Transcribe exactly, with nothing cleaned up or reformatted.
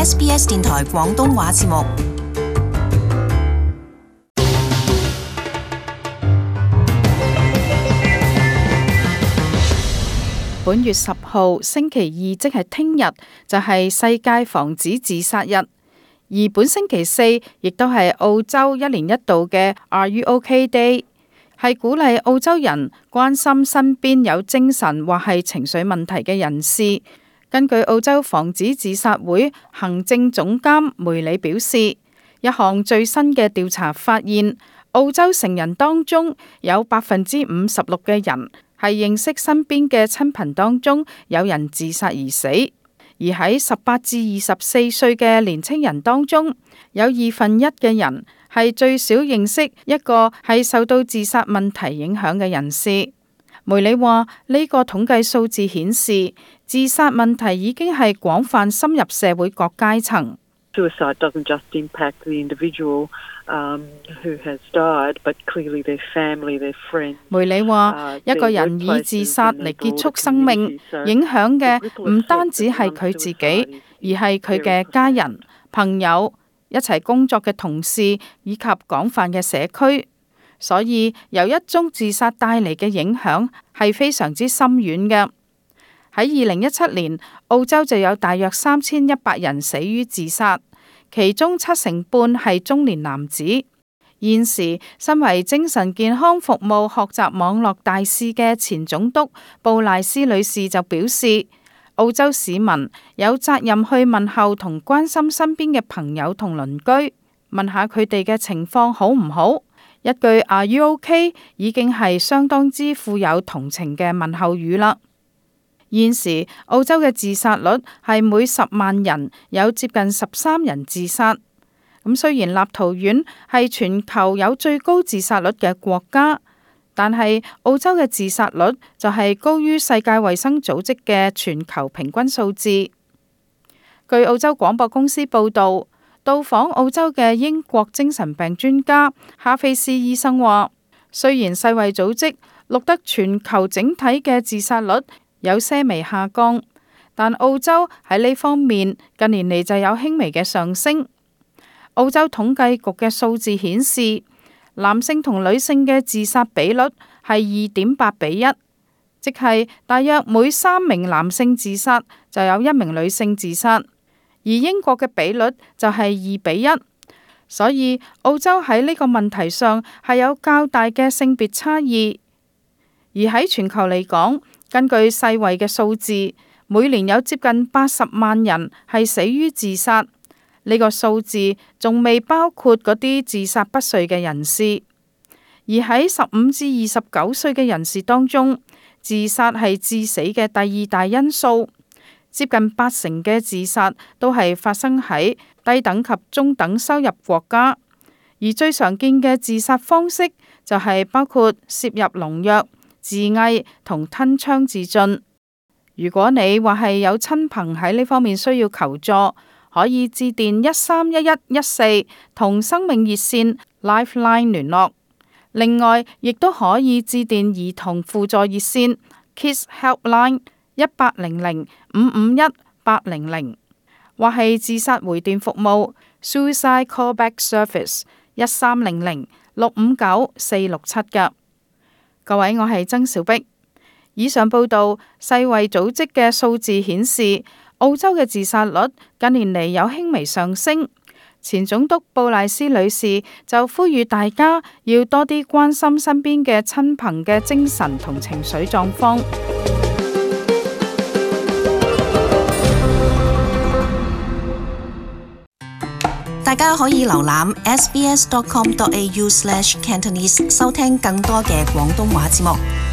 S B S 電台廣東話節目。本月十號星期二，即係聽日，就係世界防止自殺日。而本星期四亦都係澳洲一年一度嘅 Are You OK Day， 係鼓勵澳洲人關心身邊有精神或係情緒問題嘅人士。根據澳洲防止自殺會行政總監梅里表示，一項最新嘅調查發現，澳洲成人當中有百分之五十六嘅人係認識身邊嘅親朋當中有人自殺而死。而喺十八至二十四歲嘅年青人當中，有二分一嘅人係最少認識一個係受到自殺問題影響嘅人士。梅里話：呢個統計數字顯示，自殺問題已經係廣泛深入社會各階層。Suicide doesn't just impact the individual um, who has died, but clearly their family, their friends. 梅里話：一個人以自殺嚟結束生命，影響嘅唔單止係佢自己，而係佢嘅家人、朋友、一齊工作嘅同事以及廣泛嘅社區。所以由一宗自殺帶嚟嘅影響係非常之深遠嘅。喺二零一七年，澳洲就有大約三千一百人死於自殺，其中七成半係中年男子。現時，身為精神健康服務學習網絡大使嘅前總督布賴斯女士就表示，澳洲市民有責任去問候同關心身邊嘅朋友同鄰居，問下佢哋嘅情況好唔好。一句 Are you OK 已經係相當之富有同情嘅問候語啦。現時澳洲嘅自殺率係每十萬人有接近十三人自殺。咁雖然立陶宛係全球有最高自殺率嘅國家，但係澳洲嘅自殺率就係高於世界衛生組織嘅全球平均數字。據澳洲廣播公司報導，到訪澳洲嘅英國精神病專家哈菲斯醫生話，雖然世衛組織錄得全球整體嘅自殺率有些微下降，但澳洲喺呢方面近年嚟就有輕微嘅上升。澳洲統計局嘅數字顯示，男性同女性嘅自殺比率係二點八比一，即係大約每三名男性自殺就有一名女性自殺，而英國嘅比率就係二比一。所以澳洲喺呢個問題上係有較大嘅性別差異。而喺全球嚟講，根據世衛嘅數字，每年有接近八十萬人係死於自殺。呢個數字仲未包括嗰啲自殺不遂嘅人士。而喺十五至二十九歲嘅人士當中，自殺係致死嘅第二大因素。接近八成嘅自殺都係發生喺低等及中等收入國家。而最常見嘅自殺方式就係包括攝入農藥、自縊同吞槍自盡。如果你話係有親朋喺呢方面需要求助，可以致電一三一一一四同生命熱線 Lifeline 聯絡。另外，亦都可以致電兒童輔助熱線 Kids Helpline 一八零零五五一八零零，或係自殺回電服務 Suicide Callback Service 一三零零六五九四六七㗎。各位，我係曾小碧。以上報道，世衛組織嘅數字顯示，澳洲嘅自殺率近年嚟有輕微上升。前總督布賴斯女士就呼籲大家要多啲關心身邊嘅親朋嘅精神同情緒狀況。大家可以瀏覽 s b s dot com dot a u slash cantonese 收聽更多嘅廣東話節目。